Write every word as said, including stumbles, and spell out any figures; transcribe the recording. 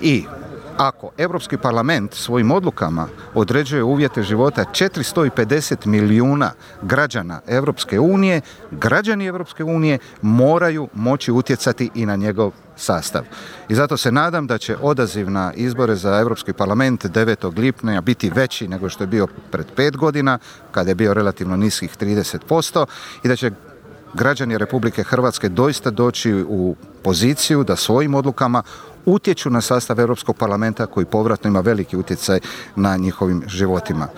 I ako Europski parlament svojim odlukama određuje uvjete života četiristo pedeset milijuna građana Europske unije, građani Europske unije moraju moći utjecati i na njegov sastav. I zato se nadam da će odaziv na izbore za Europski parlament devetog lipnja biti veći nego što je bio pred pet godina, kada je bio relativno niskih trideset posto, i da će građani Republike Hrvatske doista doći u poziciju da svojim odlukama utječu na sastav Europskog parlamenta koji povratno ima veliki utjecaj na njihovim životima.